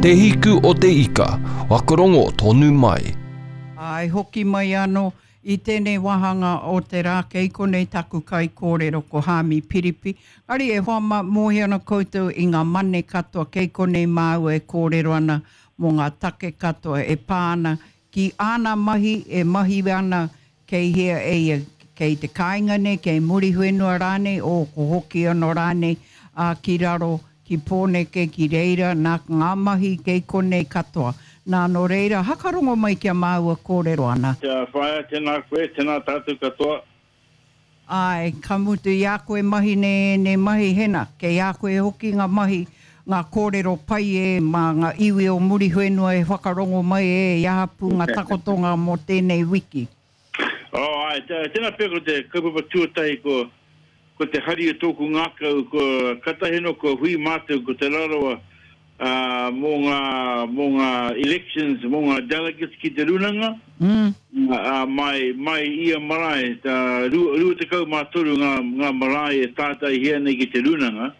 Te Hiku o te Ika, whakarongo tonu mai. Āe, hoki mai anō i tēnei wāhanga o te rā kei konei taku kaikōrero ko Haami Piripi. Engari e hoa mā, mōhio ana koutou i ngā mane katoa kei konei māua e kōrero ana mō ngā take katoa e pā ana ki āna mahi e mahi ana kei hea e ia, kei te kāinga nei, kei Muriwhenua rānei, ō, ko hoki anō rānei, ā, ki raro, ki Pōneke, ki reira, nā, ngā mahi kei konei katoa. Nā, nō reira, hakarongo mai ki a māua kōrero ana. Kia whaea, tēnā koe, tēnā tātou katoa. Āe, ka mutu i a koe mahi nei ēnei mahi, hena, kei a koe hoki ngā mahi, ngā kōrero pai e, mā ngā iwi o Muriwhenua e whakarongo mai e, i aha pū ngā takotonga mō tēnei wiki. Oh, āe, tēnā pea ko te kaupapa tuatahi ko, ko te hari o tōku ngākau, ko, katahi anō kua hui mātou ko Te Rarawa, ā, mō ngā, mō ngā elections, mō ngā delegates ki te rūnanga, ā, mai, mai ia marae, tā, 23 ngā, ngā marae e tātaihia nei ki te rūnanga,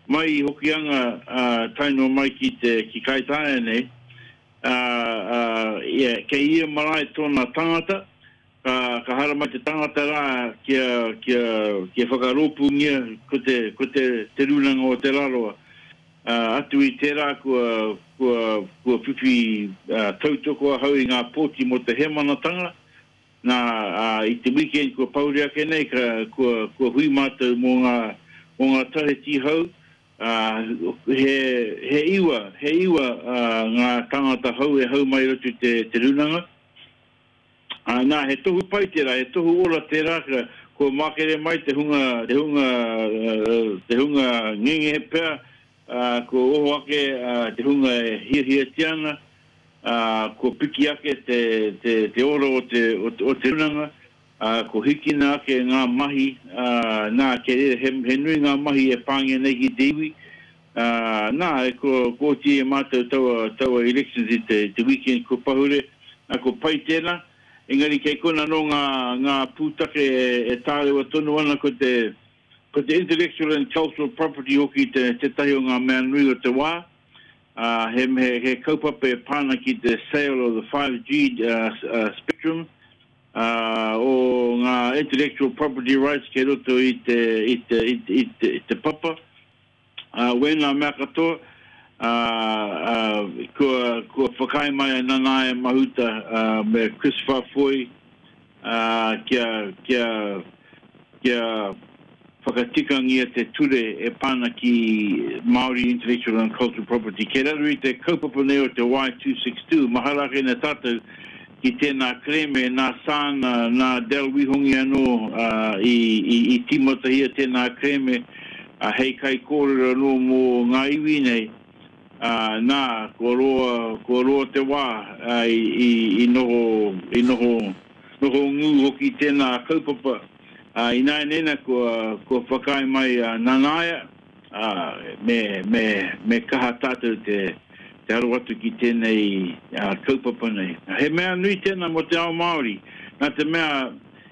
mai i Hokianga, ā, tae noa mai ki te, ki Kaitāia nei, ā, ā, ia, kei ia marae tōna tangata, ka, ka haramai te tangata rā kia, kia, kia whakarōpūngia ko te, ko te, te Rūnanga o Te Rarawa. Ā, atu i tērā kua, kua, kua whiwhi tautoko ahau i ngā pōti mō te hēmanatanga. Nā, ā, i te weekend kua pahure ake nei, ka, kua, kua hui mātou mō ngā, mō ngā taheti hou, ā, he, he iwa, he iwa, ā, ngā tāngata hou e hau mai i roto i te, te rūnanga. Ā, nā, he tohu pai tērā, he tohu ora tērā, ka, kua makere mai te hunga, te hunga, te hunga ngenge pea, ā, kua oho ake te hunga e hiahiatia ana, ā, kua piki ake te, te, te ora o te, o te, o te runanga, ā, kua hikina ake ngā mahi, ā, nā, kei reira, he, he nui ngā mahi e pāngia nei ki te iwi, ā, nā, kua, kua oti e mātou taua, taua elections i te, te weekend kua pahure, nā, kua pai tēnā, engari kei kona anō ngā, ngā pūtake e, e tārewa tonu ana ko te, ko te intellectual and cultural property hoki te, tētahi o ngā mea nui o te wā, ā, he, he, he kaupapa e pā ana ki te sale of the 5G uh, spectrum, ā, o ngā intellectual property rights kei roto i te, i te, i te, i te, i te papa. Ā, wēnā mea katoa, ā, ā, kua, kua whakaae mai a Nanaia Mahuta, ā, me Chris Faafoi, ā, kia, kia, kia whakatikangia te ture e pā ana ki Māori Intellectual and Cultural Property. Kei raro i te kaupapa nei o te Y262, mahara ake nei tātou ki tēnā kerēme nā Sāna, nā Del Wihongi anō, ā, i, i, i tīmatahia tēnā kerēme, ā, hei kaikōrero anō mō ngā iwi nei, ā, nā, kua roa, kua roa te wā, ā, i, i, i noho, i noho, noho ngū hoki tēnā kaupapa, ā, ināianei nā, kua, kua whakaae mai a Nanaia, ā, me, me, me kaha tātou te, te aro atu ki tēnei, ā, kaupapa nei. He mea nui tēnā mō te ao Māori, nā te mea,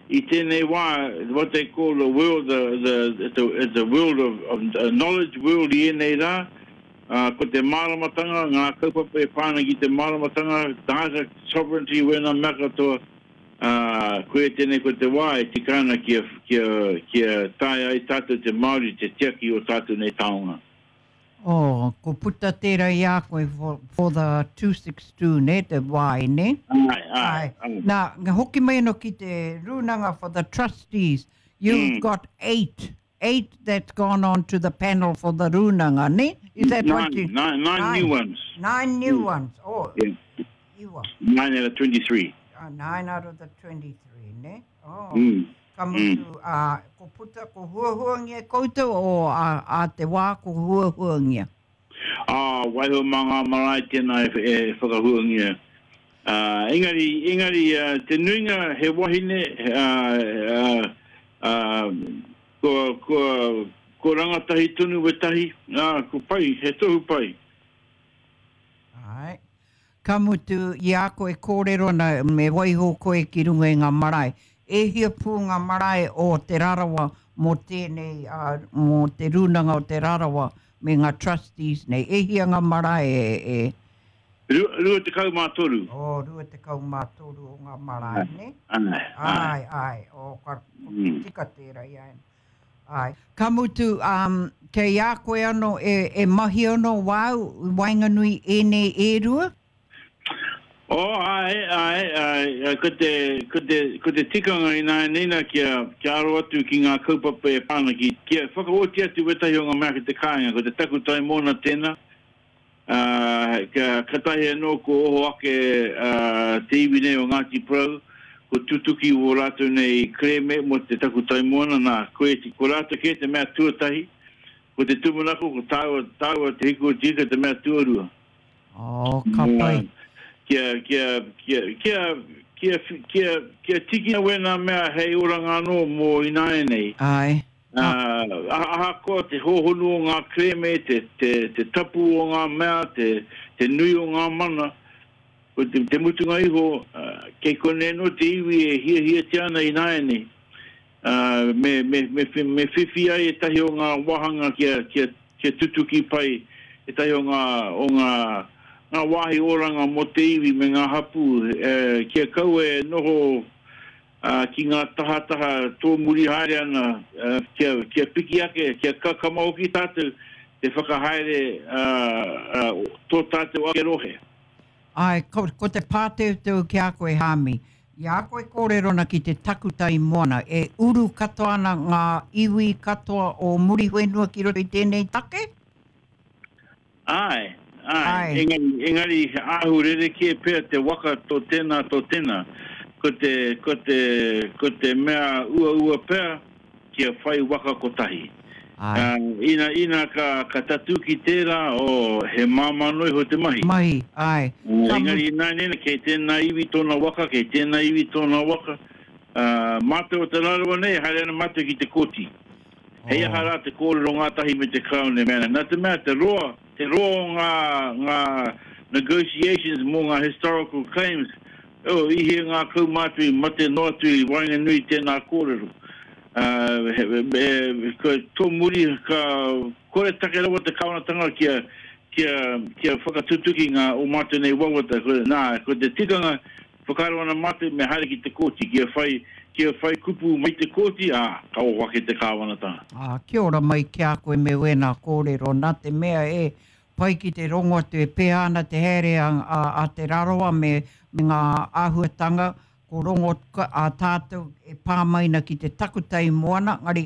I tēnei wā, what they call the world, the, the, it's a, it's a world of, of a knowledge world i ēnei rā, ā, ko te māramatanga, ngā kaupapa e pā ana ki te māramatanga, data sovereignty, wēnā mea katoa, ā, koia tēnei ko te wā e tika ana kia, kia, kia taea ai tātou te Māori te tiaki o tātou nei taonga. Oh, ko puta tērā i a koe for, for the 262, nē, te Y, nē? Āe, āe, āe. Nā, hoki mai anō ki te rūnanga for the trustees. You've mm. got eight, eight that's gone on to the panel for the rūnanga, nē? Is that nine, what you... Nine, nine, nine new ones. Nine new mm. ones, oh. Yeah. Iwa. Nine out of 23. Uh, nine out of the 23, nē? Oh. Mm. Ka mutu, ā, ko puta, ko huahuangia koutou o ā, ā te wā ko huahuangia. Ā, waiho mā ngā marae tēnā e, e whakahuangia. Ā, engari, engari, te nuinga he wahine, ā, ā, ā, kua, kua, kua rangatahi tonu wētahi, ā, ko pai, he tohu pai. Āe. Ka mutu, i a koe kōrero ana me waiho koe ki runga i ngā marae. E hia pū ngā marae o Te Rarawa mō tēnei, ā, mō te Rūnanga o Te Rarawa me ngā trustees nei. E hia ngā marae e, e? 23. Oh, 23 o ngā marae, nē? Āe, āe. Āe, āe. Oh, ka tika tērā i a Āe. Ka mutu, um, kei a koe anō e, e mahi anō wāu i waenganui ēnei e rua? Oh, āe, āe, āe, ko te, ko te, ko te tikanga ināianei nā kia, kia aro atu ki ngā kaupapa e pā ana ki, kia whakaoti atu wētahi o ngā mea ki te kāinga, ko te takutai mōna tēnā, ā, ka, katahi anō ko oho ake, ā, te iwi nei o Ngāti Porou, ko tutuki wō rātou nei kerēme mō te takutai moana, nā, koe, ko rātou kē te mea tuatahi, ko te tūmanako, ko tāua, tāua Te Hiku o Te Ika te mea tuarua. Oh, ka pai. Kia, kia, kia, kia, kia, kia, kia tikina wēnā mea hei oranga anō mō ināianei. Āe. Ā, ahakoa te hōhonu o ngā kerēme, te, te, te tapu o ngā mea, te, te nui o ngā mana, ko te, te mutunga iho, kei konei anō te iwi e hiahiatia ana ināianei. Ā, me, me, me, me whiwhi ai ētahi o ngā wāhanga kia, kia, kia tutuki pai ētahi o ngā, o ngā, ngā wāhi oranga mō te iwi me ngā hapū, e, kia kaua e noho, ā, ki ngā tahataha tōmuri haere ana, ā, kia, kia piki ake, kia kakama hoki tātou te whakahaere, ā, ā, tō tātou ake rohe. Āe, ko, ko te pāteuteu ki a koe, Hāmi. I a koe kōrero ana ki te takutai moana, e uru katoa ana ngā iwi katoa o Muriwhenua ki roto i tēnei take? Āe, āe. Āe. Engari, engari he āhu rerekē pea te waka tō tēnā, tō tēnā. Ko te, ko te, ko te mea uaua pea, kia whai waka kotahi. Āe. Ina, ina ka, ka tatū ki tērā, oh, he māmā noa iho te mahi. Mahi, āe. Ka. Engari ināianei, kei tēnā iwi tōna waka, kei tēnā iwi tōna waka. Ā, mātou o Te Rarawa nei, haere ana mātou ki te kōti. Hei aha rā te kōrero ngātahi me te Karauna e mea ana. Nā te mea te roa, te roa o ngā, ngā negotiations mō ngā historical claims, Oh, i hē ngā kaumātua i mate noa atu i waenganui i tēnā kōrero. Ā, he, he, ka, tō muri ka kore take rawa te kāwanatanga kia, kia, kia whakatutuki ngā o mātou nei wawata. Ko, nā, ko te tikanga, whakaaro ana mātou me haere ki te kōti, kia whai, kia whai kupu mai te kōti, ā, ka oho ake te kāwanatanga. Ā, kia ora mai ki a koe me wēnā kōrero, nā te mea e Pai ki te rongo atu e pēhea ana te haere a Te Rarawa me ngā āhuatanga ko rongo a tātou e pā mai ana ki te takutai moana, engari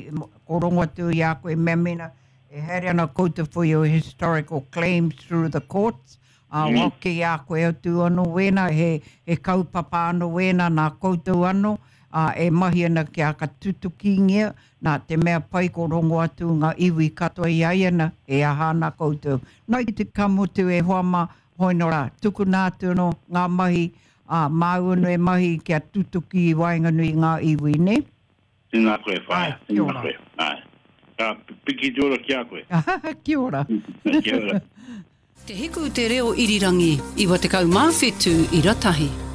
ko rongo atu i a koe mea mēnā e haere ana koutou for your historical claims through the courts, ā, mm. well, ki a koe atu anō wēnā, he, he kaupapa anō wēnā nā koutou anō, ā, e mahi ana kia ka tutukingia, nā te mea pai ko rongo atu ngā iwi katoa i a ia na, e aha ana koutou. Nā i te ka mutu e hoa mā, hoi nō rā, tukuna atu anō ngā mahi, ā, māu anō e mahi kia tutuki i waenganui i ngā iwi, nē? Tēnā koe, whaea. Āe, kia ora. Tēnā koe, āe. Ka piki te ora ki a koe. Kia ora. Kia ora. Te Hiku Te Reo Irirangi, 97 ira tahi.